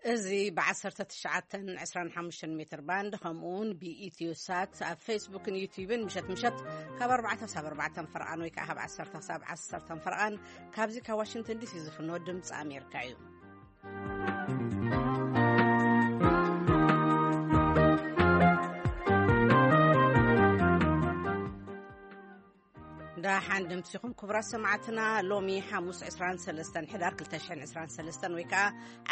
እዚ ብ19 25 ሜትር ባንድ፣ ከምኡ እውን ብኢትዮ ሳት ኣብ ፌስቡክን ዩቲዩብን ምሸት ምሸት ካብ ኣርባዕተ ክሳብ ኣርባዕተ ፈርቓን ወይ ከዓ ካብ ዓሰርተ ክሳብ ዓሰርተ ፈርቓን ካብዚ ካብ ዋሽንግተን ዲሲ ዝፍኖ ድምፂ ኣሜሪካ እዩ። ደሓን ድምፂኹም ክቡራት ሰማዕትና። ሎሚ ሓሙስ ዕስራን ሰለስተን ሕዳር ክልተ ሽሕን ዕስራን ሰለስተን ወይ ከዓ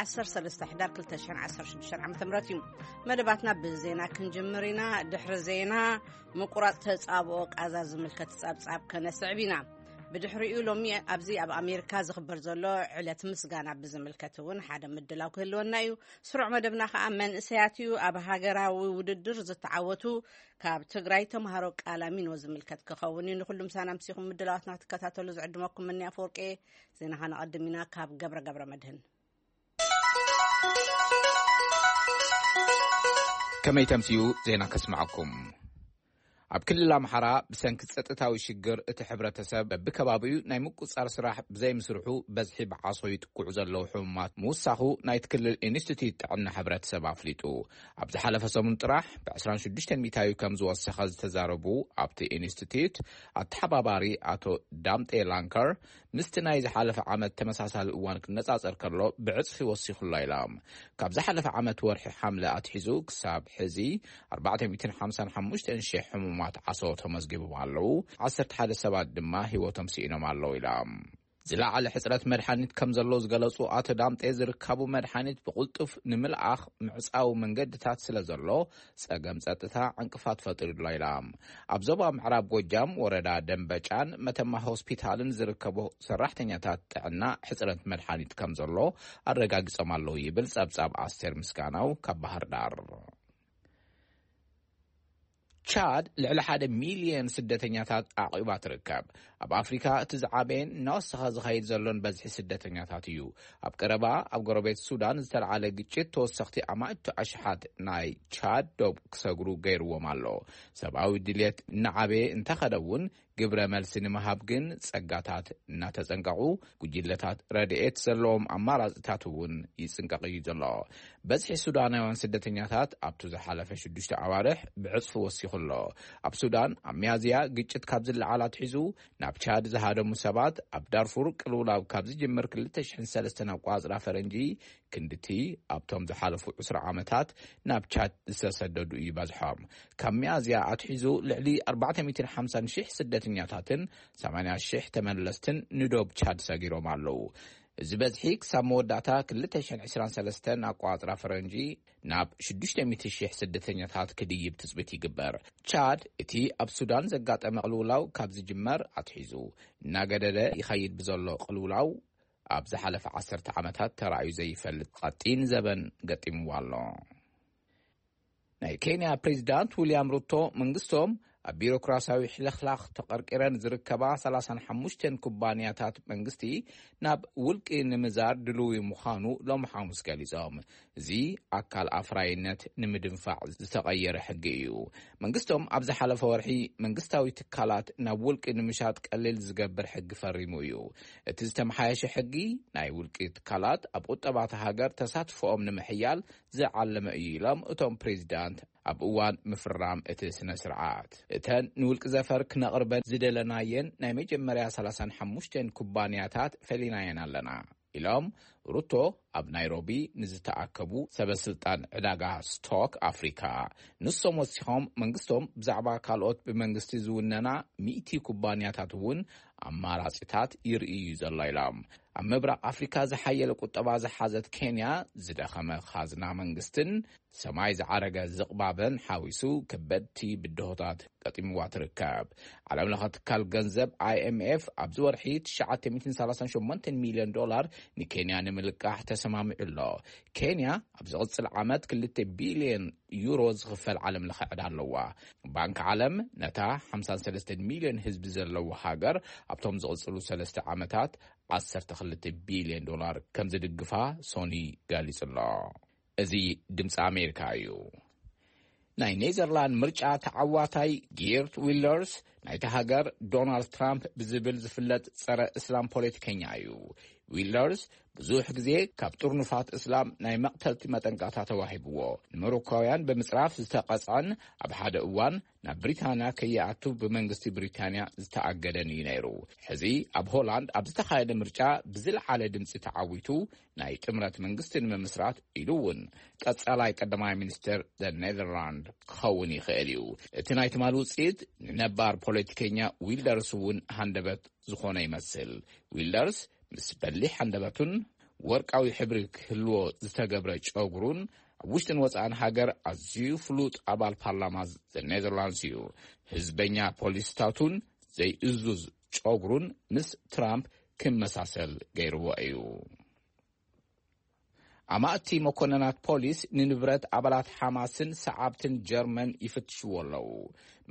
ዓሰርተ ሰለስተ ሕዳር ክልተ ሽሕን ዓሰርተ ሽዱሽተን ዓመተ ምህረት እዩ። መደባትና ብዜና ክንጅምር ኢና። ድሕሪ ዜና ምቁራፅ ተፃብኦ ቃዛ ዝምልከት ፀብፃብ ከነስዕብ ኢና። ብድሕሪኡ ሎሚ ኣብዚ ኣብ ኣሜሪካ ዝኽበር ዘሎ ዕለት ምስጋና ብዝምልከት እውን ሓደ ምድላው ክህልወና እዩ። ስሩዕ መደብና ከዓ መንእሰያት እዩ። ኣብ ሃገራዊ ውድድር ዝተዓወቱ ካብ ትግራይ ተምሃሮ ቃላሚኖ ዝምልከት ክኸውን እዩ። ንኩሉ ምሳና ምሲኹም ምድላዋትና ክትከታተሉ ዝዕድመኩም ምንያ ኣፈወርቄ። ዜና ከነቐድም ኢና ካብ ገብረ ገብረ መድህን። ከመይ ተምስዩ ዜና ከስምዓኩም። ኣብ ክልል ኣምሓራ ብሰንኪ ጸጥታዊ ሽግር እቲ ሕብረተሰብ በብከባቢኡ ናይ ምቁጻር ስራሕ ብዘይምስርሑ በዝሒ ብዓሶ ይጥቅዑ ዘለዉ ሕሙማት ምውሳኹ ናይቲ ክልል ኢንስቲትዩት ጥዕና ሕብረተሰብ ኣፍሊጡ። ኣብ ዝሓለፈ ሰሙን ጥራሕ ብ26% ከም ዝወሰኸ ዝተዛረቡ ኣብቲ ኢንስቲትዩት ኣተሓባባሪ ኣቶ ዳምጤ ላንከር፣ ምስቲ ናይ ዝሓለፈ ዓመት ተመሳሳሊ እዋን ክነጻጸር ከሎ ብዕጽፊ ወሲኹ ኣሎ ኢሎም። ካብ ዝሓለፈ ዓመት ወርሒ ሓምለ ኣትሒዙ ክሳብ ሕዚ ኣርባዕተ ሚእትን ሓምሳን ሓሙሽተን ሽሕ ሕሙማት ዓሶ ተመዝጊቦም ኣለዉ። ዓሰርተ ሓደ ሰባት ድማ ህይወቶም ስኢኖም ኣለዉ ኢሎም። ዝለዓለ ሕጽረት መድሓኒት ከም ዘሎ ዝገለጹ ኣቶ ዳምጤ፣ ዝርካቡ መድሓኒት ብቕልጡፍ ንምልኣኽ ምዕጻዊ መንገድታት ስለ ዘሎ ጸገም ጸጥታ ዕንቅፋት ፈጢሩ ኣሎ ኢሎም። ኣብ ዞባ ምዕራብ ጎጃም ወረዳ ደንበጫን መተማ ሆስፒታልን ዝርከቡ ሰራሕተኛታት ጥዕና ሕጽረት መድሓኒት ከም ዘሎ ኣረጋጊጾም ኣለዉ ይብል ጸብጻብ ኣስቴር ምስጋናው ካብ ባህር ዳር። ቻድ ልዕሊ ሓደ ሚልዮን ስደተኛታት ኣዕቂባ ትርከብ። ኣብ ኣፍሪካ እቲ ዝዓበየን እናወሰኸ ዝኸይድ ዘሎን በዝሒ ስደተኛታት እዩ። ኣብ ቀረባ ኣብ ጎረቤት ሱዳን ዝተለዓለ ግጭት ተወሰኽቲ ኣማእቱ ኣሽሓት ናይ ቻድ ዶብ ክሰግሩ ገይርዎም ኣሎ። ሰብኣዊ ድልየት እናዓበየ እንተኸደ እውን ግብረ መልሲ ንምሃብ ግን ጸጋታት እናተጸንቀቑ፣ ጉጅለታት ረድኤት ዘለዎም ኣማራጺታት እውን ይጽንቀቕ እዩ ዘሎ። በዝሒ ሱዳናውያን ስደተኛታት ኣብቱ ዝሓለፈ ሽዱሽተ ኣዋርሕ ብዕጽፊ ወሲኹ ኣሎ። ኣብ ሱዳን ኣብ ሚያዝያ ግጭት ካብ ዝለዓል ኣትሒዙ ናብ ቻድ ዝሃደሙ ሰባት ኣብ ዳርፉር ቅልውላው ካብ ዝጅምር ክልተ ሽሕን ሰለስተን ኣቋጽራ ፈረንጂ ክንድቲ ኣብቶም ዝሓለፉ ዕስራ ዓመታት ናብ ቻድ ዝተሰደዱ እዩ በዝሖም። ካብ ሚያዝያ ኣትሒዙ ልዕሊ ኣርባዕተ ሚእትን ሓምሳን ሽሕ ስደተኛታትን ሰማንያ ሽሕ ተመለስትን ንዶብ ቻድ ሰጊሮም ኣለዉ። እዚ በዝሒ ክሳብ መወዳእታ ክልተ ሽሕን ዕስራን ሰለስተን ኣቋጽራ ፈረንጂ ናብ ሽዱሽተ ሚእቲ ሽሕ ስደተኛታት ክድይብ ትጽቢት ይግበር። ቻድ እቲ ኣብ ሱዳን ዘጋጠመ ቅልውላው ካብ ዝጅመር ኣትሒዙ እናገደደ ይኸይድ ብዘሎ ቅልውላው ኣብ ዝሓለፈ ዓሰርተ ዓመታት ተራእዩ ዘይፈልጥ ቀጢን ዘበን ገጢምዋ ኣሎ። ናይ ኬንያ ፕሬዚዳንት ዊልያም ሩቶ መንግስቶም ኣብ ቢሮክራሲያዊ ሕልኽላኽ ተቐርቂረን ዝርከባ ሰላሳን ሓሙሽተን ኩባንያታት መንግስቲ ናብ ውልቂ ንምዛር ድልዊ ምዃኑ ሎም ሓሙስ ገሊጾም። እዚ ኣካል ኣፍራይነት ንምድንፋዕ ዝተቐየረ ሕጊ እዩ። መንግስቶም ኣብ ዝሓለፈ ወርሒ መንግስታዊ ትካላት ናብ ውልቂ ንምሻጥ ቀሊል ዝገብር ሕጊ ፈሪሙ እዩ። እቲ ዝተመሓየሸ ሕጊ ናይ ውልቂ ትካላት ኣብ ቁጠባታ ሃገር ተሳትፎኦም ንምሕያል ዝዓለመ እዩ ኢሎም እቶም ፕሬዚዳንት ኣብ እዋን ምፍራም እቲ ስነ ስርዓት። እተን ንውልቂ ዘፈር ክነቕርበን ዝደለናየን ናይ መጀመርያ ሰላሳን ሓሙሽተን ኩባንያታት ፈሊናየን ኣለና ኢሎም ሩቶ ኣብ ናይሮቢ ንዝተኣከቡ ሰበስልጣን ዕዳጋ ስቶክ ኣፍሪካ። ንሶም ወሲኾም መንግስቶም ብዛዕባ ካልኦት ብመንግስቲ ዝውነና ሚእቲ ኩባንያታት እውን ኣማራጺታት ይርእዩ ዘሎ ኢሎም። ኣብ ምብራቕ ኣፍሪካ ዝሓየለ ቁጠባ ዝሓዘት ኬንያ ዝደኸመ ካዝና መንግስትን ሰማይ ዝዓረገ ዝቕባበን ሓዊሱ ከበድቲ ብድሆታት ገጢምዋ ትርከብ። ዓለም ለኸ ትካል ገንዘብ ኣይኤምኤፍ ኣብዚ ወርሒ ትሽዓተ ሚእትን ሰላሳን ሸሞንተን ሚልዮን ዶላር ንኬንያ ንምልቃሕ ተሰማሚዑ ኣሎ። ኬንያ ኣብ ዝቕጽል ዓመት ክልተ ቢልዮን ዩሮ ዝኽፈል ዓለም ለኸ ዕዳ ኣለዋ። ባንክ ዓለም ነታ ሓምሳን ሰለስተን ሚልዮን ህዝቢ ዘለዎ ሃገር ኣብቶም ዝቕጽሉ ሰለስተ ዓመታት ዓሰርተ ክልተ ቢልዮን ዶላር ከም ዝድግፋ ሶኒ ገሊጹ ኣሎ። እዚ ድምፂ ኣሜሪካ እዩ። ናይ ኔዘርላንድ ምርጫ ተዓዋታይ ጊርት ዊልደርስ ናይቲ ሃገር ዶናልድ ትራምፕ ብዝብል ዝፍለጥ ጸረ እስላም ፖለቲከኛ እዩ። ዊልደርስ ብዙሕ ግዜ ካብ ጥርኑፋት እስላም ናይ መቕተልቲ መጠንቀቕታ ተዋሂብዎ፣ ንመሮካውያን ብምጽራፍ ዝተቐጽዐን ኣብ ሓደ እዋን ናብ ብሪታንያ ከይኣቱ ብመንግስቲ ብሪታንያ ዝተኣገደን እዩ ነይሩ። ሕዚ ኣብ ሆላንድ ኣብ ዝተኻየደ ምርጫ ብዝለዓለ ድምፂ ተዓዊቱ ናይ ጥምረት መንግስቲ ንምምስራት ኢሉ እውን ቀጻላይ ቀዳማይ ሚኒስትር ኔዘርላንድ ክኸውን ይኽእል እዩ። እቲ ናይ ትማሊ ውፅኢት ንነባር ፖለቲከኛ ዊልደርስ እውን ሃንደበት ዝኾነ ይመስል። ዊልደርስ ምስ በሊሕ ሃንደበቱን ወርቃዊ ሕብሪ ክህልዎ ዝተገብረ ጨጉሩን ኣብ ውሽጥን ወፃእን ሃገር ኣዝዩ ፍሉጥ ኣባል ፓርላማ ኔዘርላንድስ እዩ። ህዝበኛ ፖሊስታቱን ዘይእዙዝ ጨጉሩን ምስ ትራምፕ ክመሳሰል ገይርዎ እዩ። ኣማእቲ መኮነናት ፖሊስ ንንብረት ኣባላት ሓማስን ሰዓብትን ጀርመን ይፍትሽዎ ኣለዉ።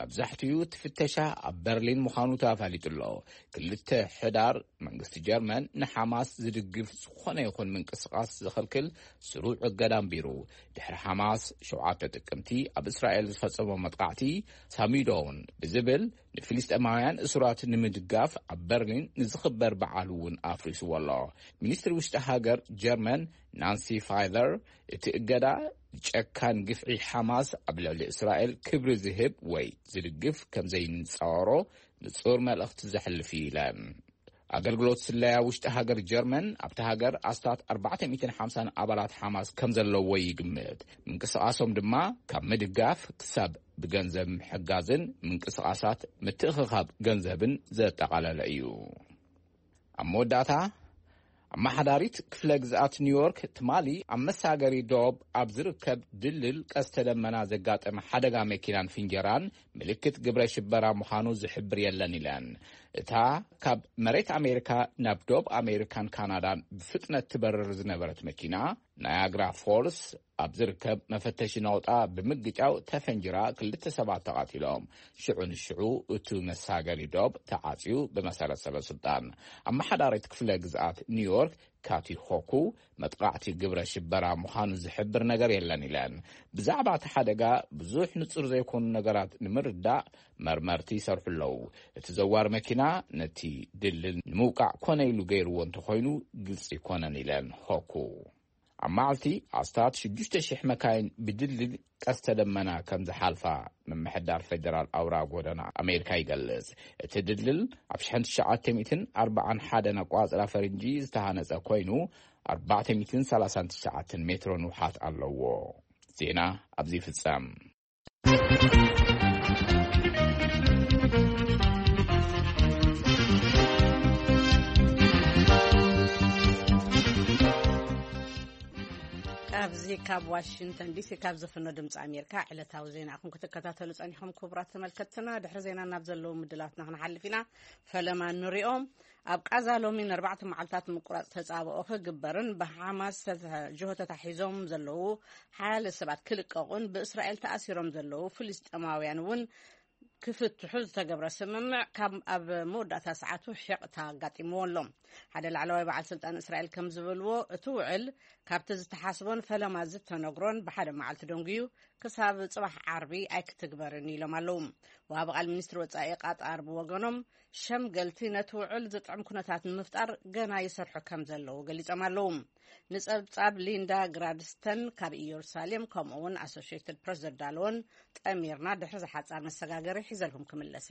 መብዛሕትኡ እቲ ፍተሻ ኣብ በርሊን ምዃኑ ተፋሊጡ ኣሎ። ክልተ ሕዳር መንግስቲ ጀርመን ንሓማስ ዝድግፍ ዝኾነ ይኹን ምንቅስቓስ ዝኽልክል ስሩዕ እገዳ ኣንቢሩ። ድሕሪ ሓማስ ሸውዓተ ጥቅምቲ ኣብ እስራኤል ዝፈጸሞ መጥቃዕቲ ሳሚዶውን ብዝብል ንፍልስጤማውያን እሱራት ንምድጋፍ ኣብ በርሊን ንዝኽበር በዓል እውን ኣፍሪስዎ ኣሎ። ሚኒስትሪ ውሽጢ ሃገር ጀርመን ናንሲ ፋይዘር እቲ እገዳ ጨካን ግፍዒ ሓማስ ኣብ ልዕሊ እስራኤል ክብሪ ዝህብ ወይ ዝድግፍ ከም ዘይንጻወሮ ንጹር መልእኽቲ ዘሕልፍ እዩ ኢለን። ኣገልግሎት ስለያ ውሽጢ ሃገር ጀርመን ኣብቲ ሃገር ኣስታት ኣርባዕተ ሚእትን ሓምሳን ኣባላት ሓማስ ከም ዘለዎ ይግምት። ምንቅስቓሶም ድማ ካብ ምድጋፍ ክሳብ ብገንዘብ ምሕጋዝን ምንቅስቓሳት ምትእኽኻብ ገንዘብን ዘጠቓለለ እዩ። ኣብ መወዳእታ ኣመሓዳሪት ክፍለ ግዝኣት ኒውዮርክ ትማሊ ኣብ መሳገሪ ዶብ ኣብ ዝርከብ ድልድል ቀስተ ደመና ዘጋጠመ ሓደጋ መኪናን ፍንጀራን ምልክት ግብረ ሽበራ ምዃኑ ዝሕብር የለን ኢለን። እታ ካብ መሬት ኣሜሪካ ናብ ዶብ ኣሜሪካን ካናዳን ብፍጥነት ትበርር ዝነበረት መኪና ናያግራ ፎልስ ኣብ ዝርከብ መፈተሺ ነቑጣ ብምግጫው ተፈንጅራ ክልተ ሰባት ተቓቲሎም። ሽዑ ንሽዑ እቱ መሳገሪ ዶብ ተዓጽዩ ብመሰረት ሰበ ስልጣን። ኣመሓዳሪት ክፍለ ግዝኣት ኒውዮርክ ካቲ ሆኩ መጥቃዕቲ ግብረ ሽበራ ምዃኑ ዝሕብር ነገር የለን ኢለን። ብዛዕባ እቲ ሓደጋ ብዙሕ ንጹር ዘይኮኑ ነገራት ንምርዳእ መርመርቲ ይሰርሑ ኣለዉ። እቲ ዘዋር መኪና ነቲ ድልድል ንምውቃዕ ኮነ ኢሉ ገይርዎ እንተኾይኑ ግልጺ ኣይኮነን ኢለን ሆኩ። ኣብ መዓልቲ ኣስታት ሽዱሽተ ሽሕ መካይን ብድልድል ቀስተ ደመና ከም ዝሓልፋ ምምሕዳር ፌደራል ኣውራ ጎደና ኣሜሪካ ይገልጽ። እቲ ድልድል ኣብ ሽሕን ትሽዓተ ሚእትን ኣርባዓን ሓደን ኣቋጽራ ፈረንጂ ዝተሃነጸ ኮይኑ ኣርባዕተ ሚእትን ሰላሳን ትሽዓተን ሜትሮ ንውሓት ኣለዎ። ዜና ኣብዚ ይፍጸም። ካብዚ ካብ ዋሽንግተን ዲሲ ካብ ዝፍኖ ድምፂ ኣሜሪካ ዕለታዊ ዜና ኢኹም ክትከታተሉ ጸኒሖም። ክቡራት ተመልከትትና፣ ድሕሪ ዜና ናብ ዘለዉ ምድላትና ክንሓልፍ ኢና። ፈለማ ንሪኦም። ኣብ ቃዛ ሎሚ ንኣርባዕተ መዓልታት ምቁራፅ ተፃብኦ ክግበርን ብሓማስ ተተ- ጅሆ ተታሒዞም ዘለዉ ሓያለ ሰባት ክልቀቑን ብእስራኤል ተኣሲሮም ዘለዉ ፍልስጤማውያን እውን ክፍትሑ ዝተገብረ ስምምዕ ካብ ኣብ መወዳእታ ሰዓቱ ሒቕታ ኣጋጢምዎ ኣሎ። ሓደ ላዕለዋይ በዓል ስልጣን እስራኤል ከም ዝበልዎ፣ እቲ ውዕል ካብቲ ዝተሓስቦን ፈለማ ዝተነግሮን ብሓደ መዓልቲ ደንጉዩ ክሳብ ጽባሕ ዓርቢ ኣይክትግበርን ኢሎም ኣለዉ። ወሃቢ ቃል ሚኒስትሪ ወጻኢ ቃጣር ብወገኖም፣ ሸምገልቲ ነቲ ውዕል ዝጥዕም ኩነታት ንምፍጣር ገና ይሰርሑ ከም ዘለዉ ገሊጾም ኣለዉ። ንጸብጻብ ሊንዳ ግራድስተን ካብ ኢየሩሳሌም፣ ከምኡ እውን ኣሶሽየትድ ፕረስ ዘዳለወን ጠሚርና ድሕሪ ዝሓጻር መሰጋገሪ ሒዘልኩም ክምለሰ።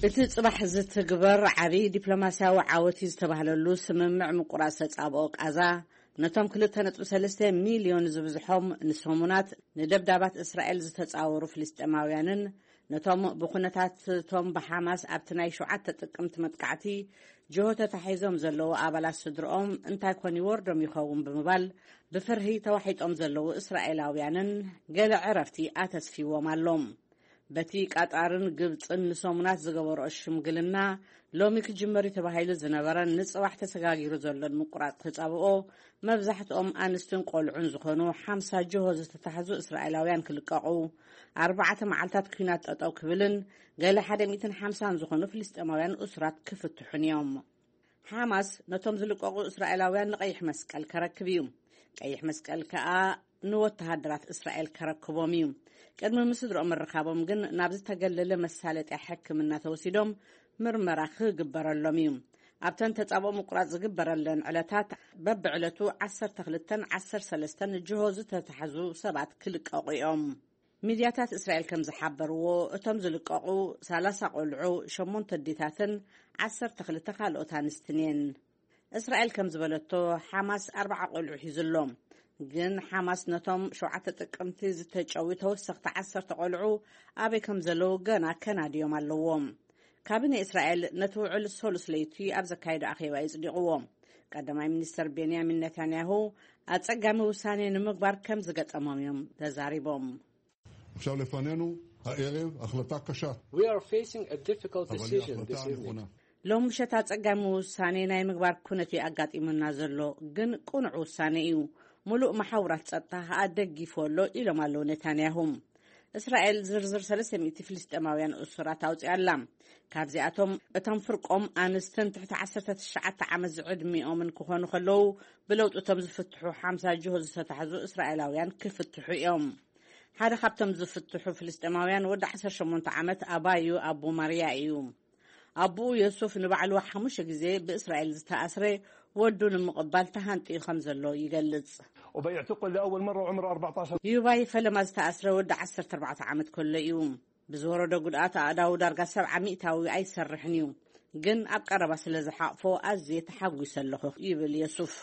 እቲ ጽባሕ ዝትግበር ዓቢ ዲፕሎማስያዊ ዓወት እዩ ዝተባህለሉ ስምምዕ ምቁራጽ ተጻብኦ ቃዛ፣ ነቶም ክልተ ነጥቢ ሰለስተ ሚልዮን ዝብዝሖም ንሰሙናት ንደብዳባት እስራኤል ዝተጻወሩ ፍልስጤማውያንን ነቶም ብኩነታት እቶም ብሓማስ ኣብቲ ናይ ሸውዓተ ጥቅምቲ መጥቃዕቲ ጅሆ ተታሒዞም ዘለዉ ኣባላት ስድርኦም እንታይ ኮን ይወርዶም ይኸውን ብምባል ብፍርሂ ተዋሒጦም ዘለዉ እስራኤላውያንን ገለ ዕረፍቲ ኣተስፊዎም ኣሎ። በቲ ቃጣርን ግብጽን ንሰሙናት ዝገበርኦ ሽምግልና ሎሚ ክጅመር እዩ ተባሂሉ ዝነበረን ንጽባሕ ተሰጋጊሩ ዘሎን ምቁራጽ ተጻብኦ መብዛሕትኦም ኣንስትን ቆልዑን ዝኾኑ ሓምሳ ጅሆ ዝተታሕዙ እስራኤላውያን ክልቀቑ፣ ኣርባዕተ መዓልታት ኲናት ጠጠው ክብልን ገለ ሓደ ሚእትን ሓምሳን ዝኾኑ ፍልስጤማውያን እሱራት ክፍትሑን እዮም። ሓማስ ነቶም ዝልቀቑ እስራኤላውያን ንቀይሕ መስቀል ከረክብ እዩ። ቀይሕ መስቀል ከኣ ንወተሃደራት እስራኤል ከረክቦም እዩ። ቅድሚ ምስድሮኦም ምርኻቦም ግን ናብ ዝተገለለ መሳለጥያ ሕክምና ተወሲዶም ምርመራ ክግበረሎም እዩ። ኣብተን ተጻብኦ ምቁራጽ ዝግበረለን ዕለታት በብዕለቱ ዓሰርተ ክልተን ዓሰርተ ሰለስተን ጅሆ ዝተታሕዙ ሰባት ክልቀቑ እዮም። ሚድያታት እስራኤል ከም ዝሓበርዎ፣ እቶም ዝልቀቑ ሰላሳ ቆልዑ፣ ሸሞንተ ኣዴታትን ዓሰርተ ክልተ ካልኦት ኣንስትን እየን። እስራኤል ከም ዝበለቶ፣ ሓማስ ኣርባዓ ቆልዑ ሒዙ ኣሎ። ግን ሓማስ ነቶም ሸውዓተ ጥቅምቲ ዝተጨዊ ተወሰኽቲ ዓሰርተ ቆልዑ ኣበይ ከም ዘለዉ ገና ከናድዮም ኣለዎም። ካቢነ እስራኤል ነቲ ውዕል ሰሉስ ለይቲ ኣብ ዘካየዶ ኣኼባ የጽዲቕዎ። ቀዳማይ ሚኒስተር ቤንያሚን ነታንያሁ ኣጸጋሚ ውሳኔ ንምግባር ከም ዝገጠሞም እዮም ተዛሪቦም። עכשיו לפנינו הערב החלטה קשה, We are facing a difficult אבל היא decision this ההחלטה evening. הנכונה. ሎም ምሸት ኣጸጋሚ ውሳኔ ናይ ምግባር ኩነት እዩ ኣጋጢሙና ዘሎ፣ ግን ቅኑዕ ውሳኔ እዩ። ሙሉእ መሓውራት ጸጥታ ከኣ ደጊፉ ኣሎ ኢሎም ኣለዉ ነታንያሁ። እስራኤል ዝርዝር ሰለስተ ሚእቲ ፍልስጤማውያን እሱራት ኣውጺኣ ኣላ። ካብዚኣቶም እቶም ፍርቆም ኣንስትን ትሕቲ ዓሰርተ ትሽዓተ ዓመት ዝዕድሚኦምን ክኾኑ ከለዉ፣ ብለውጢ እቶም ዝፍትሑ ሓምሳ ጅሆ ዝተታሕዙ እስራኤላውያን ክፍትሑ እዮም። ሓደ ካብቶም ዝፍትሑ ፍልስጤማውያን ወዲ ዓሰርተ ሸሞንተ ዓመት ኣባዩ ኣቡ ማርያ እዩ። ኣቡኡ የሱፍ ንባዕሉ ሓሙሽተ ግዜ ብእስራኤል ዝተኣስረ ወዱ ንምቕባል ተሃንጥዩ ከም ዘሎ ይገልጽ። وبيعتقل لأول مرة عمره أربعتاشر. ዩባይ ፈለማ ዝተኣስረ ወዲ ዓሰርተ ኣርባዕተ ዓመት ከሎ እዩ። ብዝወረዶ ጉድኣት ኣእዳዉ ዳርጋ ሰብዓ ሚእታዊ ኣይሰርሕን እዩ። ግን ኣብ ቀረባ ስለ ዝሓቕፎ ኣዝየ ተሓጒሰ ኣለኹ ይብል የሱፍ።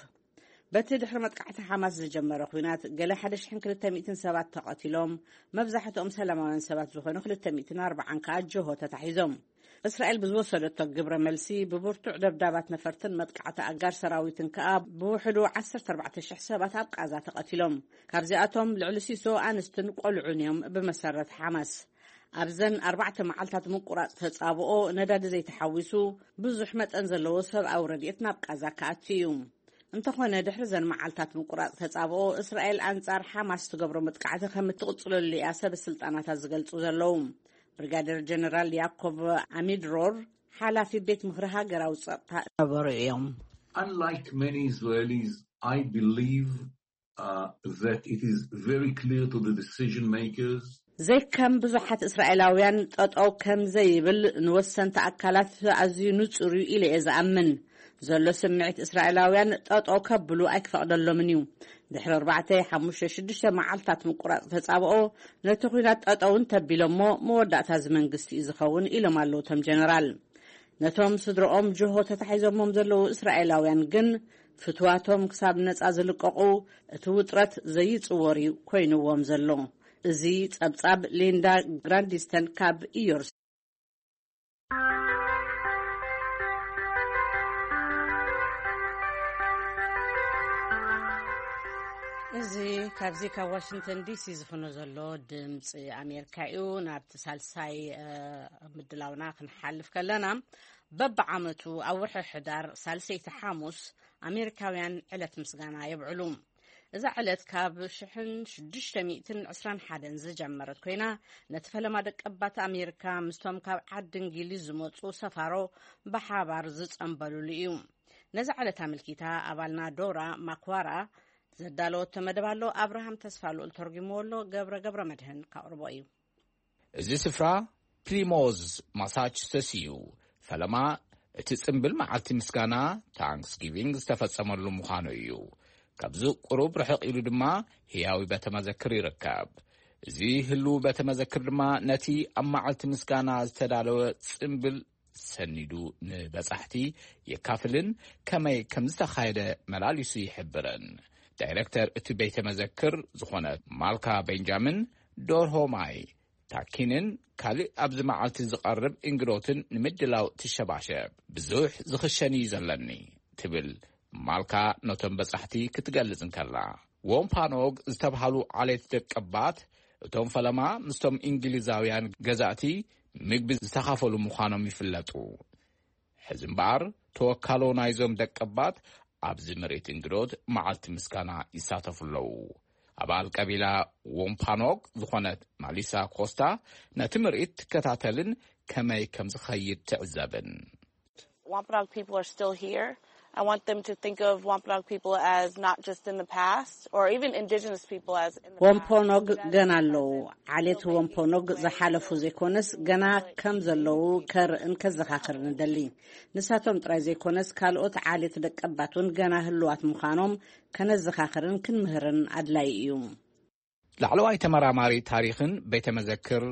በቲ ድሕሪ መጥቃዕቲ ሓማስ ዝጀመረ ኲናት ገለ ሓደ ሽሕን ክልተ ሚእትን ሰባት ተቐቲሎም፣ መብዛሕትኦም ሰላማውያን ሰባት ዝኾኑ ክልተ ሚእትን ኣርባዓን ከኣ ጅሆ ተታሒዞም። እስራኤል ብዝወሰደቶ ግብረ መልሲ ብብርቱዕ ደብዳባት ነፈርትን መጥቃዕቲ ኣጋር ሰራዊትን ከኣ ብውሕዱ ዓሰርተ ኣርባዕተ ሽሕ ሰባት ኣብ ቃዛ ተቐቲሎም። ካብዚኣቶም ልዕሊ ሲሶ ኣንስትን ቆልዑን እዮም ብመሰረት ሓማስ። ኣብዘን ኣርባዕተ መዓልታት ምቁራጽ ተጻብኦ ነዳዲ ዘይተሓዊሱ ብዙሕ መጠን ዘለዎ ሰብኣዊ ረድኤት ናብ ቃዛ ክኣቱ እዩ። እንተኾነ ድሕሪ ዘን መዓልታት ምቁራጽ ተጻብኦ እስራኤል ኣንጻር ሓማስ ትገብሮ መጥቃዕቲ ከም እትቕጽለሉ እያ ሰብ ስልጣናታት ዝገልጹ ዘለዉ። ብሪጋደር ጀነራል ያኮብ ኣሚድሮር ሓላፊ ቤት ምኽሪ ሃገራዊ ጸጥታ ነበሩ እዮም። Unlike many Israelis, I believe uh, that it is very clear to the decision makers. ዘይከም ብዙሓት እስራኤላውያን ጠጠው ከም ዘይብል ንወሰንቲ ኣካላት ኣዝዩ ንጹር እዩ ኢለ እየ ዝኣምን። ዘሎ ስምዒት እስራኤላውያን ጠጠው ከብሉ ኣይክፈቕደሎምን እዩ። ድሕሪ ኣርባዕተ ሓሙሽተ ሽዱሽተ መዓልታት ምቁራጽ ተጻብኦ ነቲ ኲናት ጠጠው እንተቢሎሞ መወዳእታ እዚ መንግስቲ እዩ ዝኸውን ኢሎም ኣለዉ እቶም ጀነራል። ነቶም ስድረኦም ጅሆ ተታሒዞሞም ዘለዉ እስራኤላውያን ግን ፍትዋቶም ክሳብ ነጻ ዝልቀቑ እቲ ውጥረት ዘይጽወር እዩ ኮይንዎም ዘሎ። እዚ ጸብጻብ ሊንዳ ግራንዲስተን ካብ ኢዮርስ። እዚ ካብዚ ካብ ዋሽንግተን ዲሲ ዝፍኖ ዘሎ ድምፂ ኣሜሪካ እዩ። ናብቲ ሳልሳይ ምድላውና ክንሓልፍ ከለና፣ በብዓመቱ ኣብ ወርሒ ሕዳር ሳልሰይቲ ሓሙስ ኣሜሪካውያን ዕለት ምስጋና የብዕሉ። እዛ ዕለት ካብ ሽሕን ሽዱሽተ ሚእትን ዕስራን ሓደን ዝጀመረት ኮይና፣ ነቲ ፈለማ ደቀባት ኣሜሪካ ምስቶም ካብ ዓዲ እንግሊዝ ዝመፁ ሰፋሮ ብሓባር ዝፀንበሉሉ እዩ። ነዚ ዕለት ኣመልኪታ ኣባልና ዶራ ማክዋራ ዘዳለወቶ መደብ ኣሎ። ኣብርሃም ተስፋ ልኡል ተርጉምዎ ኣሎ። ገብረ ገብረ መድህን ካቕርቦ እዩ። እዚ ስፍራ ፕሊሞዝ ማሳቹሰትስ እዩ። ፈለማ እቲ ጽምብል መዓልቲ ምስጋና ታንክስጊቪንግ ዝተፈጸመሉ ምዃኑ እዩ። ካብዚ ቁሩብ ርሕቕ ኢሉ ድማ ህያዊ ቤተ መዘክር ይርከብ። እዚ ህሉው ቤተ መዘክር ድማ ነቲ ኣብ መዓልቲ ምስጋና ዝተዳለወ ጽምብል ሰኒዱ ንበጻሕቲ የካፍልን ከመይ ከም ዝተኻየደ መላሊሱ ይሕብርን። ዳይረክተር እቲ ቤተ መዘክር ዝኾነ ማልካ ቤንጃሚን ዶርሆማይ ታኪንን ካልእ ኣብዚ መዓልቲ ዝቐርብ እንግዶትን ንምድላው ትሸባሸብ። ብዙሕ ዝኽሸን እዩ ዘለኒ ትብል ማልካ ነቶም በጻሕቲ ክትገልጽ እንከላ። ዎምፓኖግ ዝተብሃሉ ዓሌት ደቀባት እቶም ፈለማ ምስቶም እንግሊዛውያን ገዛእቲ ምግቢ ዝተኻፈሉ ምዃኖም ይፍለጡ። ሕዚ እምበኣር ተወካሎ ናይዞም ደቀባት ኣብዚ ምርኢት እንግዶት መዓልቲ ምስጋና ይሳተፉ ኣለዉ። ኣባል ቀቢላ ዎምፓኖግ ዝኾነት ማሊሳ ኮስታ ነቲ ምርኢት ትከታተልን ከመይ ከም ዝኸይድ ትዕዘብን። Wampanoag people are still here. I want them to think of Wampanoag people as not just in the past or even indigenous people as in the past. Wampanoag ገና ኣለዉ። ዓሌት ወምፖኖግ ዝሓለፉ ዘይኮነስ ገና ከም ዘለዉ ከርእን ከዘኻኽርን እደሊ። ንሳቶም ጥራይ ዘይኮነስ ካልኦት ዓሌት ደቀባት እውን ገና ህልዋት ምዃኖም ከነዘኻኽርን ክንምህርን ኣድላዪ እዩ። ላዕለዋይ ተመራማሪ ታሪኽን ቤተ መዘክር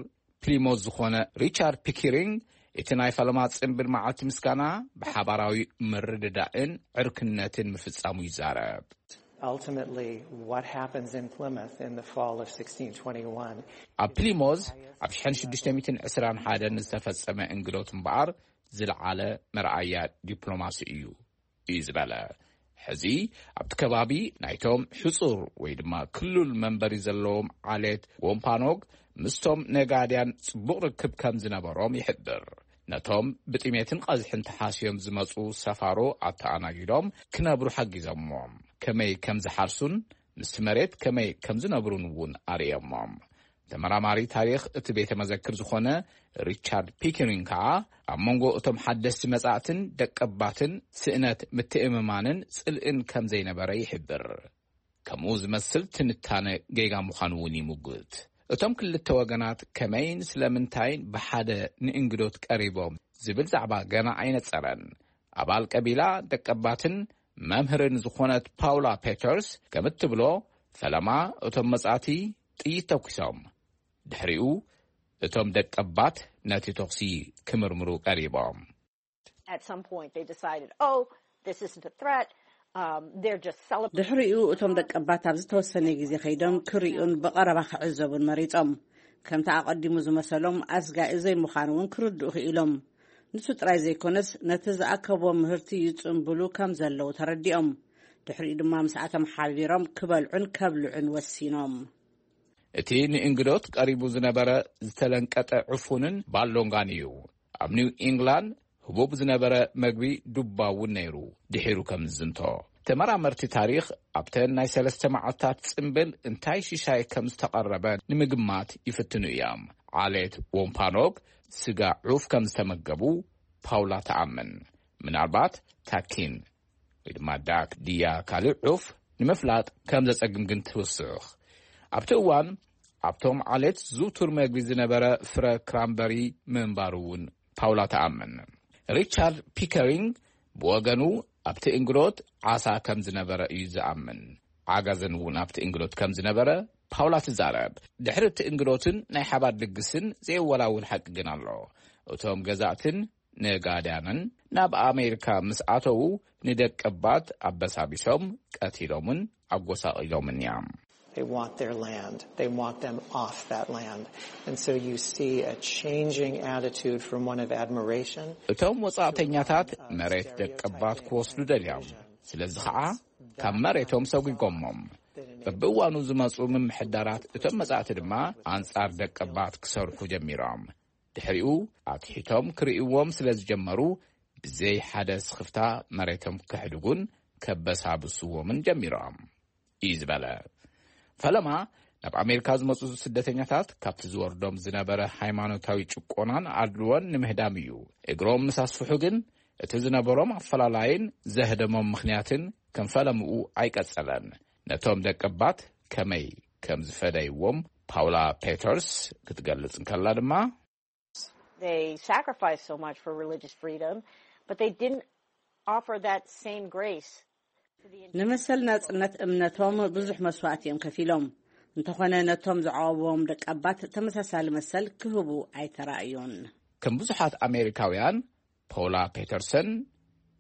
ፕሊሞዝ ዝኾነ ሪቻርድ ፒኪሪንግ፣ እቲ ናይ ፈለማ ጽንብል መዓልቲ ምስጋና ብሓባራዊ ምርድዳእን ዕርክነትን ምፍጻሙ ይዛረብ። Ultimately, what happens in Plymouth in the fall of sixteen twenty-one? ኣብ ፕሊሞዝ ኣብ ሽሕን ሽዱሽተ ሚእትን ዕስራን ሓደን ዝተፈጸመ እንግዶት እምበኣር ዝለዓለ መርኣያ ዲፕሎማሲ እዩ እዩ ዝበለ። ሕዚ ኣብቲ ከባቢ ናይቶም ሕጹር ወይ ድማ ክሉል መንበሪ ዘለዎም ዓሌት ወምፓኖግ ምስቶም ነጋድያን ጽቡቕ ርክብ ከም ዝነበሮም ይሕብር። ነቶም ብጥሜትን ቐዝሕን ተሓስዮም ዝመጹ ሰፋሮ ኣተኣናጊዶም ክነብሩ ሓጊዞምዎም። ከመይ ከም ዝሓርሱን ምስቲ መሬት ከመይ ከም ዝነብሩን እውን ኣርእዮሞም። ተመራማሪ ታሪኽ እቲ ቤተ መዘክር ዝኾነ ሪቻርድ ፒከሪንግ ከኣ ኣብ መንጎ እቶም ሓደስቲ መጻእትን ደቀባትን ስእነት ምትእምማንን ጽልእን ከም ዘይነበረ ይሕብር። ከምኡ ዝመስል ትንታነ ጌጋ ምዃኑ እውን ይምጉት። እቶም ክልተ ወገናት ከመይን ስለምንታይን ብሓደ ንእንግዶት ቀሪቦም ዝብል ዛዕባ ገና ኣይነጸረን። ኣባል ቀቢላ ደቀባትን መምህርን ዝኾነት ፓውላ ፔተርስ ከም እትብሎ፣ ፈለማ እቶም መጻእቲ ጥይት ተኩሶም። ድሕሪኡ እቶም ደቀባት ነቲ ተኹሲ ክምርምሩ ቀሪቦም። At some point, they decided, oh, this isn't a threat. Um, they're just celebrating. ድሕሪኡ እቶም ደቀባት ኣብ ዝተወሰነ ግዜ ከይዶም ክርእዩን ብቐረባ ክዕዘቡን መሪጾም። ከምቲ ኣቐዲሙ ዝመሰሎም ኣስጋኢ ዘይምዃኑ እውን ክርድኡ ክኢሎም። ንሱ ጥራይ ዘይኮነስ፣ ነቲ ዝኣከብዎ ምህርቲ ይጽንብሉ ከም ዘለዉ ተረዲኦም። ድሕሪኡ ድማ ምስኣቶም ሓቢሮም ክበልዑን ከብልዑን ወሲኖም። እቲ ንእንግዶት ቀሪቡ ዝነበረ ዝተለንቀጠ ዕፉንን ባሎንጋን እዩ። ኣብ ኒው ኢንግላንድ ህቡብ ዝነበረ መግቢ ዱባ እውን ነይሩ፣ ድሒሩ ከም ዝዝንቶ። ተመራመርቲ ታሪኽ ኣብተን ናይ ሰለስተ መዓልታት ጽምብል እንታይ ሽሻይ ከም ዝተቐረበ ንምግማት ይፍትኑ እዮም። ዓሌት ዎምፓኖግ ስጋ ዑፍ ከም ዝተመገቡ ፓውላ ትኣምን። ምናልባት ታኪን ወይ ድማ ዳክ ድያ ካልእ ዑፍ ንምፍላጥ ከም ዘጸግም ግን ትውስኽ። ኣብቲ እዋን ኣብቶም ዓሌት ዝውቱር መግቢ ዝነበረ ፍረ ክራምበሪ ምንባሩ እውን ፓውላ ትኣምን። ሪቻርድ ፒከሪንግ ብወገኑ ኣብቲ እንግዶት ዓሳ ከም ዝነበረ እዩ ዝኣምን። ዓጋዘን እውን ኣብቲ እንግዶት ከም ዝነበረ ፓውላ ትዛረብ። ድሕሪ እቲ እንግዶትን ናይ ሓባር ድግስን ዘይወላውል ሓቂ ግን ኣሎ። እቶም ገዛእትን ነጋድያንን ናብ ኣሜሪካ ምስ ኣተዉ ንደቀባት ኣበሳቢሶም ቀቲሎምን ኣጎሳቒሎምን እዮም። They want their land. They want them off that land. And so you see a changing attitude from one of admiration. እቶም ወጻእተኛታት መሬት ደቀባት ክወስዱ ደልዮም፣ ስለዚ ኸዓ ካብ መሬቶም ሰጒጎሞም። በብእዋኑ ዝመጹ ምምሕዳራት እቶም መጻእቲ ድማ ኣንጻር ደቀባት ክሰርሑ ጀሚሮም። ድሕሪኡ ኣትሒቶም ክርእይዎም ስለ ዝጀመሩ፣ ብዘይ ሓደ ስኽፍታ መሬቶም ከሕድጉን ከበሳብስዎምን ጀሚሮም እዩ ዝበለ። ፈለማ ናብ ኣሜሪካ ዝመጹ ስደተኛታት ካብቲ ዝወርዶም ዝነበረ ሃይማኖታዊ ጭቆናን ኣድልዎን ንምህዳም እዩ። እግሮም ምስ ኣስፍሑ ግን እቲ ዝነበሮም ኣፈላላይን ዘህደሞም ምኽንያትን ከም ፈለምኡ ኣይቀጸለን። ነቶም ደቀባት ከመይ ከም ዝፈደይዎም ፓውላ ፔተርስ ክትገልጽ እንከላ ድማ፣ They sacrificed so much for religious freedom, but they didn't offer that same grace to the indigenous. ንመሰል ናጽነት እምነቶም ብዙሕ መስዋእቲ እዮም ከፊሎም። እንተኾነ ነቶም ዝዓወዎም ደቀባት ተመሳሳሊ መሰል ክህቡ ኣይተራእዩን። ከም ብዙሓት ኣሜሪካውያን፣ ፖውላ ፔተርሰን፣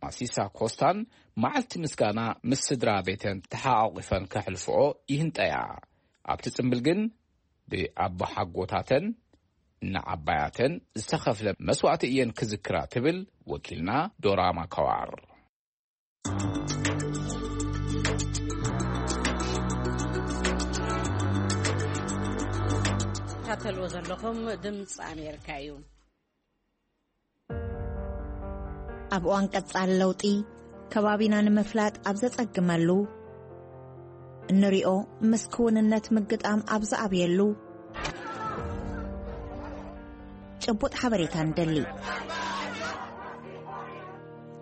ማሲሳ ኮስታን መዓልቲ ምስጋና ምስ ስድራ ቤተን ተሓቋቒፈን ከሕልፍኦ ይህንጠያ። ኣብቲ ጽምብል ግን ብኣቦሓጎታተን ንዓባያተን ዝተኸፍለ መስዋእቲ እየን ክዝክራ ትብል ወኪልና ዶራ ማካዋር። ትከታተልዎ ዘለኹም ድምፂ ኣሜሪካ እዩ። ኣብ እዋን ቀጻሊ ለውጢ ከባቢና ንምፍላጥ ኣብ ዘጸግመሉ፣ እንሪኦ ምስ ክውንነት ምግጣም ኣብ ዝኣብየሉ፣ ጭቡጥ ሓበሬታ ንደሊ።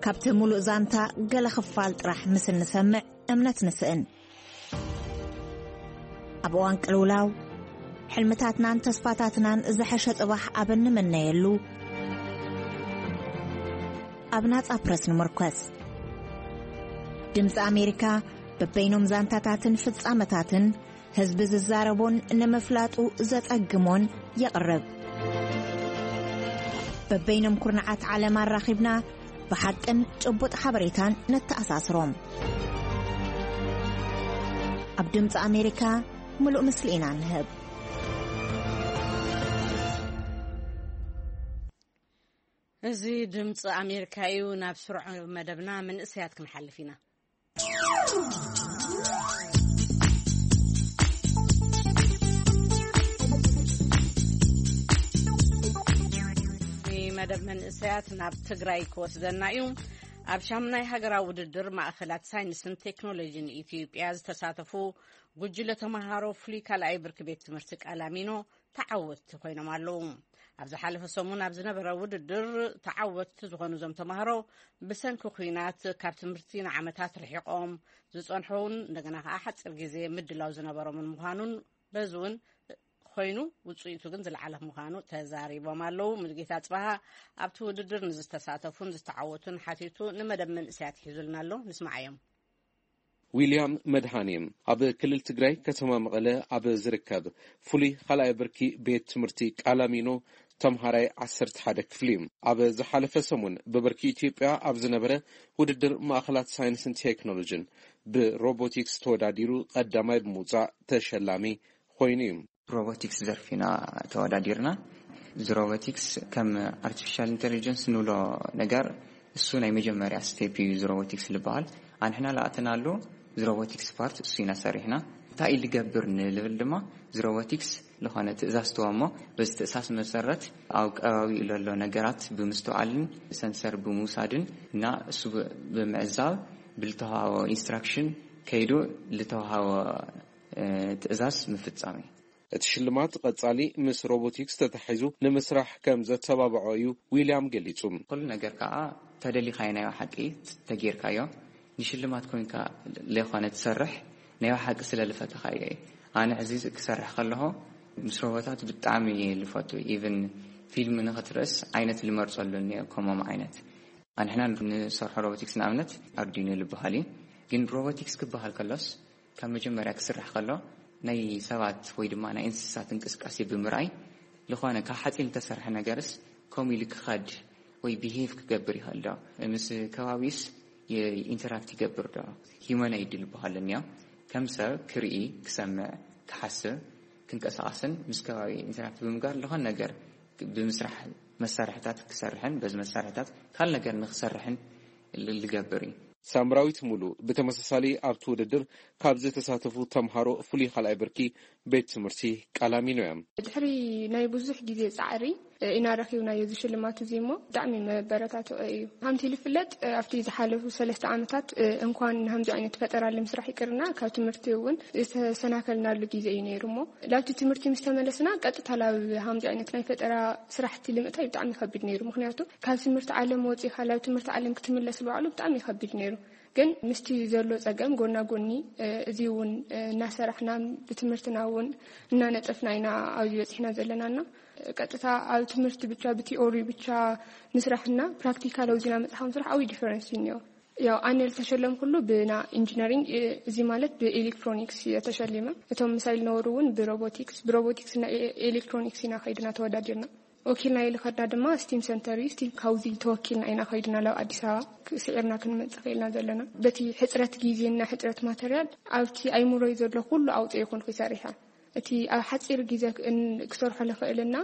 ካብቲ ምሉእ ዛንታ ገለ ክፋል ጥራሕ ምስ እንሰምዕ እምነት ንስእን። ኣብ እዋን ቅልውላው፣ ሕልምታትናን ተስፋታትናን ዝሐሸ ጽባሕ ኣብ እንምነየሉ፣ ኣብ ናጻ ፕረስ ንምርኮስ። ድምጺ ኣሜሪካ በበይኖም ዛንታታትን ፍጻመታትን ህዝቢ ዝዛረቦን ንምፍላጡ ዘጸግሞን የቕርብ። በበይኖም ኩርናዓት ዓለም ኣራኺብና ብሓቅን ጭቡጥ ሓበሬታን ነተኣሳስሮም። ኣብ ድምፂ ኣሜሪካ ምሉእ ምስሊ ኢና ንህብ። እዚ ድምፂ ኣሜሪካ እዩ። ናብ ስሩዕ መደብና መንእሰያት ክንሓልፍ ኢና። መደብ መንእሰያት ናብ ትግራይ ክወስደና እዩ። ኣብ ሻምናይ ሃገራዊ ውድድር ማእኸላት ሳይንስን ቴክኖሎጂን ኢትዮጵያ ዝተሳተፉ ጉጅለ ተምሃሮ ፍሉይ ካልኣይ ብርኪ ቤት ትምህርቲ ቃላሚኖ ተዓወትቲ ኮይኖም ኣለዉ። ኣብ ዝሓለፈ ሰሙን ኣብ ዝነበረ ውድድር ተዓወትቲ ዝኾኑ እዞም ተምሃሮ ብሰንኪ ኲናት ካብ ትምህርቲ ንዓመታት ርሒቖም ዝጸንሑ እውን እንደገና ከኣ ሓጺር ግዜ ምድላው ዝነበሮምን ምዃኑን በዚ እውን ኮይኑ ውጽኢቱ ግን ዝለዓለ ምዃኑ ተዛሪቦም ኣለዉ። ሙሉጌታ ጽባሃ ኣብቲ ውድድር ንዝተሳተፉን ዝተዓወቱን ሓቲቱ ንመደብ መንእሰያት ሒዙልና ኣሎ። ንስማዓዮም። ዊልያም መድሃኔ ኣብ ክልል ትግራይ ከተማ መቐለ ኣብ ዝርከብ ፍሉይ ካልኣይ ብርኪ ቤት ትምህርቲ ቃላሚኖ ተምሃራይ ዓሰርተ ሓደ ክፍሊ እዩ። ኣብ ዝሓለፈ ሰሙን ብብርኪ ኢትዮጵያ ኣብ ዝነበረ ውድድር ማእኸላት ሳይንስን ቴክኖሎጂን ብሮቦቲክስ ተወዳዲሩ ቀዳማይ ብምውፃእ ተሸላሚ ኮይኑ እዩ። ሮቦቲክስ ዘርፍ ኢና ተወዳዲርና። እዚ ሮቦቲክስ ከም ኣርቲፊሻል ኢንቴሊጀንስ ንብሎ ነገር እሱ ናይ መጀመርያ ስቴፕ እዩ። እዚ ሮቦቲክስ ዝበሃል ኣንሕና ለኣተናሉ እዚ ሮቦቲክስ ፓርት እሱ ኢና ሰሪሕና። እንታይ እዩ ዝገብር ንልብል ድማ እዚ ሮቦቲክስ ዝኾነ ትእዛዝ ትወ እሞ በዚ ትእዛዝ መሰረት ኣብ ከባቢኡ ለሎ ነገራት ብምስትውዓልን ሰንሰር ብምውሳድን እና እሱ ብ-፣ ብምዕዛብ ብልተዋሃቦ ኢንስትራክሽን ከይዱ ልተዋሃቦ፣ እ፣ ትእዛዝ ምፍጻም እዩ። እቲ ሽልማት ቀጻሊ ምስ ሮቦቲክስ ተታሒዙ ንምስራሕ ከም ዘተባብዖ እዩ ዊልያም ገሊጹ። ኩሉ ነገር ከኣ ተደሊኻዮ ናይ ሓቂ ተጌርካዮ። ንሽልማት ኮይንካ ለይኮነ ትሰርሕ ናይ ሓቂ ስለ ልፈተኻ እየ። ኣነ ሕዚ ክሰርሕ ከለኹ ምስ ሮቦታት ብጣዕሚ እየ ልፈቱ። ኢቭን ፊልም ንኽትርእስ ዓይነት ልመርጸሉ እኒኦ ከምኦም ዓይነት። ኣንሕና ንሰርሖ ሮቦቲክስ ንኣብነት ኣርዲኖ ልበሃል እዩ። ግን ሮቦቲክስ ክበሃል ከሎስ ካብ መጀመርያ ክስራሕ ከሎ ናይ ሰባት ወይ ድማ ናይ እንስሳት እንቅስቃሴ ብምርኣይ ዝኾነ ካብ ሓፂን ዝተሰርሐ ነገርስ ከምኡ ኢሉ ክኸድ ወይ ቢሄቭ ክገብር ይኽእል ዶ? ምስ ከባቢስ ይ-፣ ኢንተራክት ይገብር ዶ? ሂዩማኖይድ ዝበሃል እኒኦ። ከም ሰብ ክርኢ፣ ክሰምዕ፣ ክሓስብ፣ ክንቀሳቐስን ምስ ከባቢ ኢንተራክት ብምግባር ዝኾነ ነገር ብምስራሕ መሳርሕታት ክሰርሕን በዚ መሳርሕታት ካልእ ነገር ንክሰርሕን ል-፣ ልገብር እዩ። ሳምራዊት ሙሉ ብተመሳሳሊ ኣብቲ ውድድር ካብ ዝተሳተፉ ተምሃሮ ፍሉይ ካልኣይ ብርኪ ቤት ትምህርቲ ቃላሚኖ እያ። ድሕሪ ናይ ብዙሕ ግዜ ጻዕሪ ኢና ረኺብናዮ እዚ ሽልማት እዚ እሞ ብጣዕሚ መበረታትዒ እዩ። ከምቲ ዝፍለጥ ኣብቲ ዝሓለፉ ሰለስተ ዓመታት እንኳን ንሃምዚ ዓይነት ፈጠራ ንምስራሕ ይቅርና ካብ ትምህርቲ እውን ዝተሰናከልናሉ ግዜ እዩ ነይሩ እሞ ላብቲ ትምህርቲ ምስ ተመለስና ቀጥታ ላብ ሃምዚ ዓይነት ናይ ፈጠራ ስራሕቲ ልምእታይ ብጣዕሚ ከቢድ ነይሩ። ምክንያቱ ካብ ትምህርቲ ዓለም ወፂኻ ላብ ትምህርቲ ዓለም ክትምለስ ባዕሉ ብጣዕሚ ከቢድ ነይሩ። ግን ምስቲ ዘሎ ጸገም ጎና ጎኒ፣ እ፣ እዚ እውን፣ እ፣ እናሰራሕና ብትምህርትና እውን እናነጠፍና ኢና ኣብዚ በጺሕና ዘለናና። ቀጥታ ኣብ ትምህርቲ ብቻ ብቲኦሪ ብቻ ምስራሕና ፕራክቲካል ኣውዚና መጽሓፍ ምስራሕ ዓብዪ ዲፈረንስ እዩ እኒኦ። ያው ኣነ ዝተሸለምኩሉ ብና ኢንጂነሪንግ፣ እ፣ እዚ ማለት ብኤሌክትሮኒክስ እየ ተሸሊመ። እቶም ምሳይ ዝነበሩ እውን ብሮቦቲክስ፣ ብሮቦቲክስ እና ኤ-፣ ኤሌክትሮኒክስ ኢና ከይድና ተወዳዲርና። ወኪልና ኢሉ ከድና ድማ ስቲም ሰንተር እዩ። ስቲም ካብዚ ተወኪልና ኢና ከይድና ናብ ኣዲስ ኣበባ ክ-፣ ስዒርና ክንመጽእ ክኢልና ዘለና። በቲ ሕጽረት ግዜና ሕጽረት ማተርያል ኣብቲ ኣይምሮይ ዘሎ ኩሉ ኣውፅኦ ይኹን ክሰርሐ። እቲ ኣብ ሓፂር ግዜ ክ-፣ እን-፣ ክሰርሖ ልኽእልና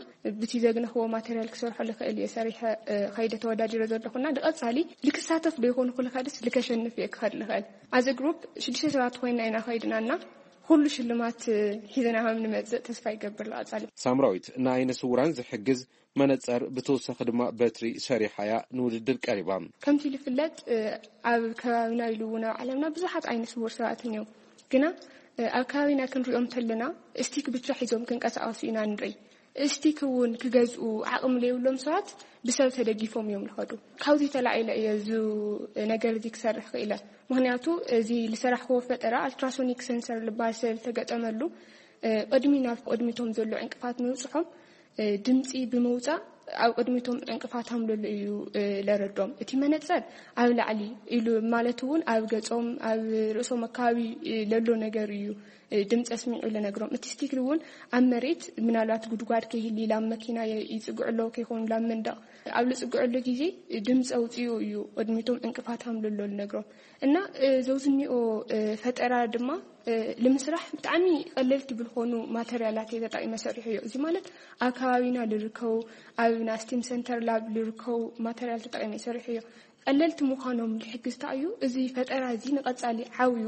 ብቲ ዘግነኽዎ ማተርያል ክሰርሖ ልኽእል እየ ሰሪሐ፣ እ፣ ከይደ ተወዳዲረ ዘለኹና ንቐጻሊ ልክሳተፍ ዶ ይኹን ክልኸድስ ልከሸንፍ እየ ክኸድ ልኽእል። ኣዘ ግሩፕ ሽዱሽተ ሰባት ኮይና ኢና ከይድናና ኩሉ ሽልማት ሒዝና ከም ንመጽእ ተስፋ ይገብር። ዝቐጻሊ። ሳምራዊት ንዓይነ ስውራን ዝሕግዝ መነጸር ብተወሳኺ ድማ በትሪ ሰሪሓ እያ ንውድድር ቀሪባ። ከምቲ ዝፍለጥ፣ እ፣ ኣብ ከባቢና ኢሉ እውን ኣብ ዓለምና ብዙሓት ዓይነ ስውር ሰባት እኒው። ግና፣ እ፣ ኣብ ከባቢና ክንሪኦም ተለና ስቲክ ብቻ ሒዞም ክንቀሳቐሱ ኢና ንርኢ። ስቲክ እውን ክገዝኡ ዓቕሚ ዘይብሎም ሰባት ብሰብ ተደጊፎም እዮም ዝኸዱ። ካብዚ ተላዒለ እየ እዚ ነገር እዚ ክሰርሕ ክኢለ። ምክንያቱ እዚ ዝሰራሕክዎ ፈጠራ ኣልትራሶኒክ ሰንሰር ዝበሃል ዝተገጠመሉ፣ ቅድሚ ናብ ቅድሚቶም ዘሎ ዕንቅፋት ምብፅሖም ድምፂ ብምውፃእ ኣብ ቅድሚቶም ዕንቅፋት ከም ዘሎ እዩ ለረዶም። እቲ መነፀር ኣብ ላዕሊ ኢሉ ማለት እውን ኣብ ገፆም ኣብ ርእሶም ኣካባቢ ለሎ ነገር እዩ ድምፂ ኣስሚዑ ለነግሮም። እቲ ስቲክ እውን ኣብ መሬት ምናልባት ጉድጓድ ከይህሊ ላብ መኪና ይፅግዑ ኣለዉ ከይኮኑ ላብ መንደቕ ኣብ ልፅግዑሉ ግዜ ድምፂ ኣውፅኡ እዩ ቅድሚቶም ዕንቅፋት ከም ዘሎ ልነግሮም። እና ዘውዝኒኦ ፈጠራ ድማ ንምስራሕ ብጣዕሚ ቀለልቲ ብልኾኑ ማተርያላት እየ ተጠቂመ ሰሪሑ እዮ። እዚ ማለት ኣብ ከባቢና ልርከቡ ኣብ ናስቲም ሰንተር ላብ ልርከቡ ማተርያል ተጠቂመ ሰሪሑ እዮ። ቀለልቲ ምዃኖም ልሕግዝታ እዩ። እዚ ፈጠራ እዚ ንቐጻሊ ዓብዩ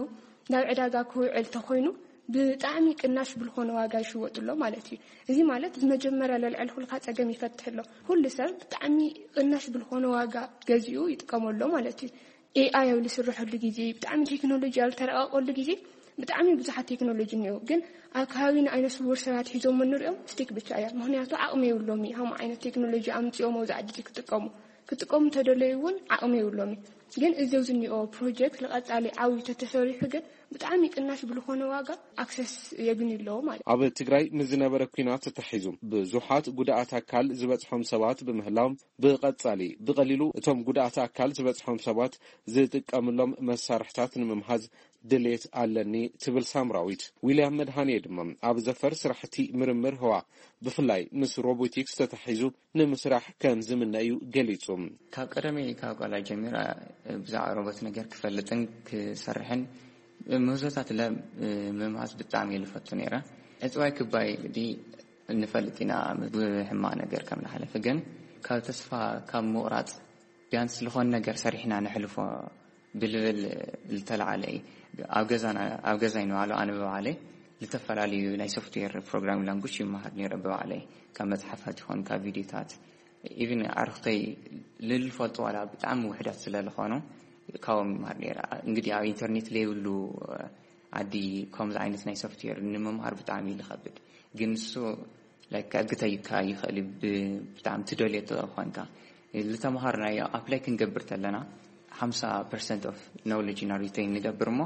ናብ ዕዳጋ ክውዕል ተኾይኑ ብጣዕሚ ቅናሽ ብልኾነ ዋጋ ይሽወጥሎ ማለት እዩ። እዚ ማለት ብመጀመርያ ለልዕል ኩልካ ጸገም ይፈትሕ ኣሎ። ኩሉ ሰብ ብጣዕሚ ቅናሽ ብልኾነ ዋጋ ገዚኡ ይጥቀመሎ ማለት እዩ። ኤኣይ ኣብ ልስርሐሉ ግዜ ብጣዕሚ ቴክኖሎጂ ኣብ ልተረቐቐሉ ግዜ ብጣዕሚ ብዙሓት ቴክኖሎጂ እኒኦ። ግን ኣብ ከባቢና ኣይነ ስውር ሰባት ሒዞሞ ንሪኦም ስቲክ ብቻ እያ። ምክንያቱ ዓቕሚ የብሎም እዩ። ሃምኡ ዓይነት ቴክኖሎጂ ኣምፂኦም ኣብዚ ዓዲ ክጥቀሙ ክጥቀሙ እንተደለዩ እውን ዓቕሚ የብሎም እዩ። ግን እዚ ኣብዚ እኒኦ ፕሮጀክት ንቐፃሊ ዓብዩ ተተሰሪሑ ግን ብጣዕሚ ቅናሽ ብልኾነ ዋጋ ኣክሰስ የግኒ ኣለዎ ማለት እዩ። ኣብ ትግራይ ንዝነበረ ኲናት ተታሒዙ ብዙሓት ጉድኣት ኣካል ዝበፅሖም ሰባት ብምህላዎም ብቐፃሊ ብቐሊሉ እቶም ጉድኣት ኣካል ዝበፅሖም ሰባት ዝጥቀምሎም መሳርሕታት ንምምሃዝ ድሌት ኣለኒ ትብል ሳምራዊት። ዊልያም መድሃኔ ድማ ኣብ ዘፈር ስራሕቲ ምርምር ህዋ ብፍላይ ምስ ሮቦቲክስ ተታሒዙ ንምስራሕ ከም ዝምነ እዩ ገሊጹ። ካብ ቀደመይ ካብ ቃላ ጀሚራ ብዛዕባ ሮቦት ነገር ክፈልጥን ክሰርሕን ምህዞታት ለ ምምሃዝ ብጣዕሚ እየ ዝፈቱ ነይረ። ዕፅዋይ ክባይ እንግዲህ እንፈልጥ ኢና ብሕማቕ ነገር ከም ዝሓለፈ፣ ግን ካብ ተስፋ ካብ ምቑራፅ ቢያንስ ዝኾነ ነገር ሰሪሕና ንሕልፎ ብልብል ዝተለዓለ እዩ። ኣብ ገዛና ኣብ ገዛይ ንባዕሉ ኣነ ብባዕለይ ዝተፈላለዩ ናይ ሶፍትዌር ፕሮግራሚንግ ላንጉጅ ይመሃር ነይረ ብባዕለይ፣ ካብ መፅሓፋት ይኹን ካብ ቪድዮታት። ኢቭን ኣዕርኽተይ ልልፈልጡ ዋላ ብጣዕሚ ውሕዳት ስለ ዝኾኑ ካብኦም ይመሃር ነይረ። እንግዲህ ኣብ ኢንተርኔት ለይብሉ ዓዲ ከምዚ ዓይነት ናይ ሶፍትዌር ንምምሃር ብጣዕሚ እዩ ዝኸብድ። ግን ንሱ ላይክ ከግተካ ይኽእል እዩ። ብ- ብጣዕሚ ትደልዮ ተኾንካ ዝተምሃርናዮ ኣፕላይ ክንገብር ተለና ሓምሳ ፐርሰንት ኦፍ ኖውሌጅ ኢና ሪቴን ንገብር እሞ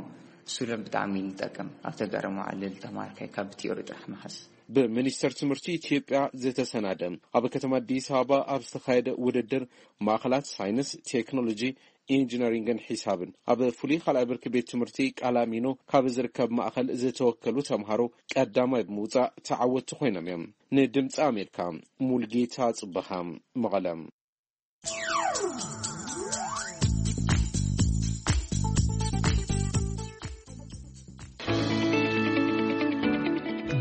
እሱ ለ ብጣዕሚ ንጠቅም። ኣብ ተጋር መዓልል ተማርካይ ካብ ቲዮሪ ጥራሕ መሓዝ። ብሚኒስቴር ትምህርቲ ኢትዮጵያ ዝተሰናደ ኣብ ከተማ ኣዲስ ኣበባ ኣብ ዝተኻየደ ውድድር ማእኸላት ሳይንስ፣ ቴክኖሎጂ፣ ኢንጂነሪንግን ሒሳብን ኣብ ፍሉይ ካልኣይ ብርኪ ቤት ትምህርቲ ቃላሚኖ ካብ ዝርከብ ማእኸል ዝተወከሉ ተምሃሮ ቀዳማይ ብምውፃእ ተዓወትቲ ኮይኖም እዮም። ንድምፂ ኣሜሪካ ሙልጌታ ፅበሃ መቐለ።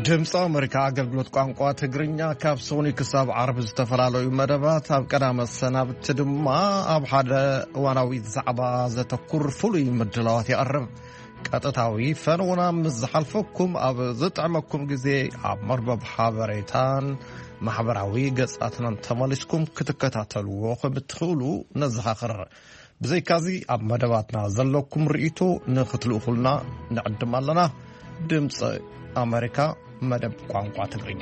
ድምፂ ኣሜሪካ ኣገልግሎት ቋንቋ ትግርኛ ካብ ሰኑይ ክሳብ ዓርቢ ዝተፈላለዩ መደባት፣ ኣብ ቀዳመ ሰናብቲ ድማ ኣብ ሓደ እዋናዊ ዛዕባ ዘተኩር ፍሉይ ምድላዋት የቕርብ። ቀጥታዊ ፈነወና ምስ ዝሓልፈኩም ኣብ ዝጥዕመኩም ግዜ ኣብ መርበብ ሓበሬታን ማሕበራዊ ገጻትናን ተመሊስኩም ክትከታተልዎ ከም እትኽእሉ ነዘኻኽር። ብዘይካዚ ኣብ መደባትና ዘለኩም ርእይቶ ንኽትልእኹልና ንዕድም ኣለና። ድምፂ ኣሜሪካ መደብ ቋንቋ ትግርኛ።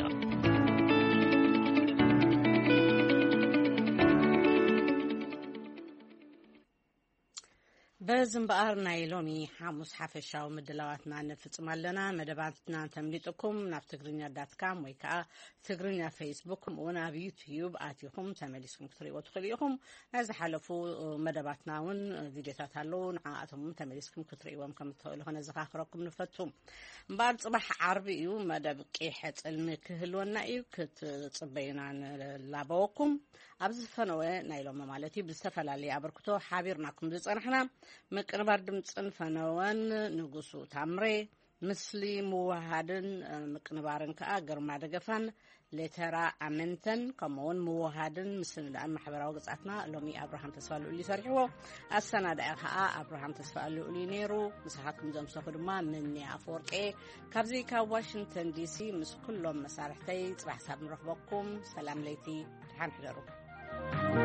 በዚ እምበኣር ናይ ሎሚ ሓሙስ ሓፈሻዊ ምድላዋትና ንፍጽም ኣለና። መደባትና እንተምሊጥኩም ናብ ትግርኛ ዳት ካም ወይ ከኣ ትግርኛ ፌስቡክ፣ ከምኡ እውን ኣብ ዩትዩብ ኣቲኹም ተመሊስኩም ክትርእይዎ ትኽእሉ ኢኹም። ናይ ዝሓለፉ መደባትና እውን ቪድዮታት ኣለዉ፣ ንዓኣቶም እውን ተመሊስኩም ክትርእይዎም ከም እትኽእሉ ከነዘኻኽረኩም ንፈቱ። እምበኣር ጽባሕ ዓርቢ እዩ፣ መደብ ቂሐ ጽልሚ ክህልወና እዩ፣ ክትጽበዩና ንላበወኩም። ኣብዚ ፈነወ ናይ ሎሚ ማለት እዩ፣ ብዝተፈላለየ ኣበርክቶ ሓቢርናኩም ዝጸናሕና፣ ምቅንባር ድምጽን ፈነወን ንጉሱ ታምሬ፣ ምስሊ ምውሃድን፣ እ፣ ምቅንባርን ከኣ ግርማ ደገፋን ሌተራ ኣመንተን፣ ከምኡውን ምውሃድን ምስንዳእን ማሕበራዊ ገጻትና ሎሚ ኣብርሃም ተስፋ ልኡል እዩ ሰሪሕዎ። ኣሰናዳኢ ከኣ ኣብርሃም ተስፋ ልኡል እዩ ነይሩ። ምሳኻትኩም ዘምሰኹ ድማ ምኒ ኣፈወርቄ። ካብዚ ካብ ዋሽንግተን ዲሲ ምስ ኩሎም መሳርሕተይ ጽባሕ ሳብ ንረኽበኩም። ሰላም ለይቲ፣ ደሓን ሕደሩ።